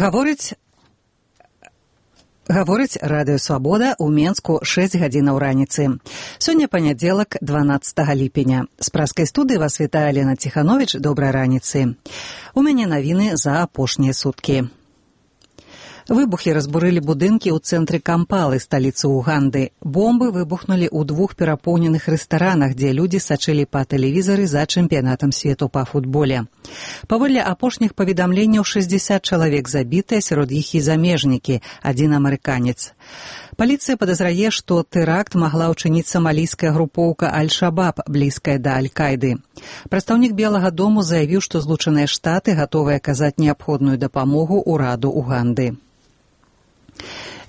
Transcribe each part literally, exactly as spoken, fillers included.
Гаворыць Гаворыць Радыё Свабода ў Менску шэсць гадзінаў раніцы. Сёння панядзелак, дванаццатага ліпеня. З праскай студыі вас вітае Лена Ціхановіч. Добрай раніцы. У мяне навіны за апошнія суткі. Выбухі разбурылі будынкі ў цэнтры Кампалы, сталіцы Уганды. Бомбы выбухнулі ў двух перапоўненых рэстаранах, дзе людзі сачылі па тэлевізары за чэмпіянатам свету па футболе. Паводле апошніх паведамленняў, шэсцьдзесят чалавек забітыя, сярод іх і замежнікі, адзін амерыканец. Паліцыя падазрае, што тэракт магла ўчыніць самалійская групоўка Аль-Шабаб, блізкая да Аль-Кайды. Прадстаўнік Белага дому заявіў, што Злучаныя Штаты гатовыя аказаць неабходную дапамогу ўраду Уганды.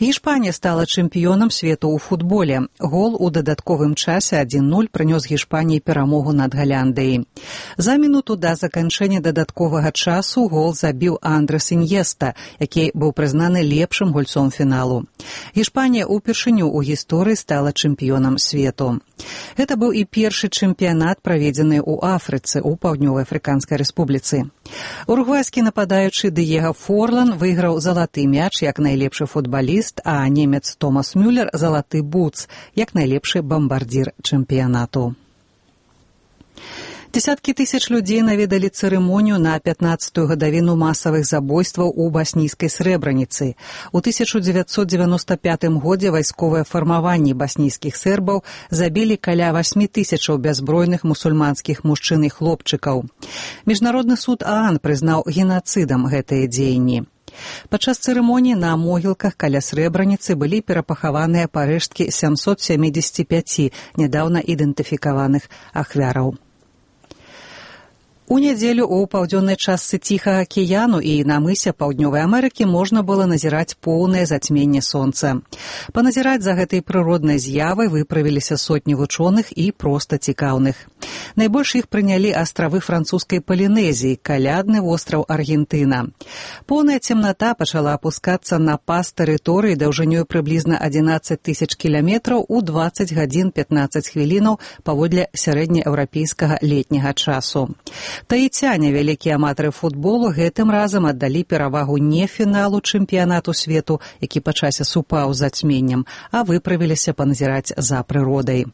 Гішпанія стала чэмпіёнам свету ў футболе. Гол у дадатковым часе адзін нуль прынёс Гішпаніі перамогу над Галяндыяй. За мінуту да заканчэння дадатковага часу гол забіў Андрес Іньеста, які быў прызнаны лепшым гульцом фіналу. Гішпанія ўпершыню ў гісторыі стала чэмпіёнам свету. Гэта быў і першы чэмпіянат, праведзены ў Афрыцы, у Паўднёва-Афрыканскай рэспубліцы. Уругвайскі нападаючы Дыего Форлан выйграў залаты мяч як найлепшы футбаліст, а немец Томас Мюллер – залаты бутс, як найлепшы бамбардзір чэмпіянату. Десяткі тысяч людзей наведалі цырымонію на пятнаццатую гадавіну масавых забойстваў у баснійскай Срэбраніцы. У тысяча дзевяцьсот дзевяноста пятым годзе вайсковыя фармаванні баснійскіх сербаў забілі каля васьмі тысячаў бяззбройных мусульманскіх мужчын і хлопчыкаў. Міжнародны суд ААН прызнаў генацыдам гэтыя дзеянні. Падчас цырымоніі на могілках каля Срэбраніцы былі перапахаваныя парэшткі сямсот сямідзесяці пяці нядаўна ідэнтыфікаваных ахвяраў. У нядзелю ў паўднёвай частцы Ціхага акіяну і на мысе Паўднёвай Амерыкі можна было назіраць поўнае зацьменне сонца. Паназіраць за гэтай прыроднай з'явай выправіліся сотні вучоных і проста цікаўных. Найбольш іх прынялі астравы французскай Палінезіі, калядны востраў Аргентына. Поўная цемната пачала апускацца на пас тэрыторыі даўжынёй прыблізна адзінаццаць тысяч кіламетраў у дваццаць гадзін пятнаццаць хвілінаў паводле сярэднееўрапейскага летняга часу. Таіцяне, вялікія аматары футболу, гэтым разам аддалі перавагу не фіналу чэмпіянату свету, які па часе супаў з зацьменнем, а выправіліся паназіраць за прыродай.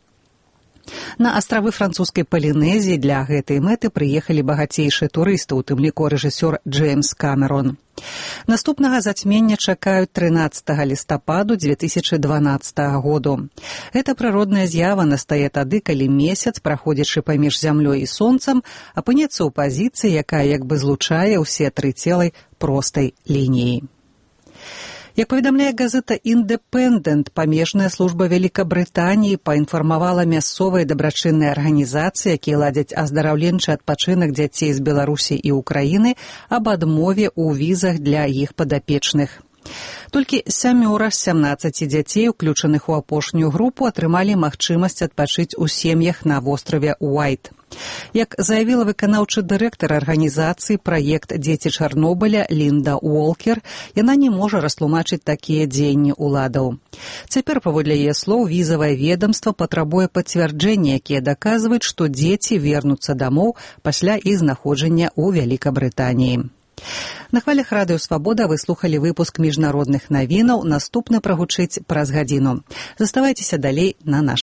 На астравы французскай Палінезіі для гэтай мэты прыехалі багацейшыя турысты, у тым ліку рэжысёр Джеймс Камерон. Наступнага зацьмення чакаюць трынаццатага лістападу дзве тысячы дванаццатага году. Гэта прыродная з'ява настае тады, калі месяц, праходзячы паміж зямлёй і сонцам, апынецца ў пазіцыі, якая як бы злучае ўсе тры целы простай лініяй. Як паведамляе газета «Індэпэндэнт», памежная служба Вялікабрытаніі паінфармавала мясцовыя дабрачынныя арганізацыі, якія ладзяць аздараўленчы адпачынак дзяцей з Беларусі і Украіны, аб адмове ў візах для іх падапечных. Толькі сямёра з сямнаццаці дзяцей, уключаных у апошнюю групу, атрымалі магчымасць адпачыць у сем'ях на востраве Уайт. Як заявіла выканаўчы дырэктар арганізацыі «Праект Дзеці Чарнобыля» Лінда Уолкер, яна не можа растлумачыць такія дзеянні ўладаў. Цяпер, паводле яе слоў, візавае ведамства патрабуе пацвярджэння, якія даказваюць, што дзеці вернуцца дамоў пасля іх знаходжання ў Вялікабрытаніі. На хвалях Радыё Свабода вы слухалі выпуск міжнародных навінаў. Наступны прагучыць праз гадзіну. Заставайцеся далей на нашым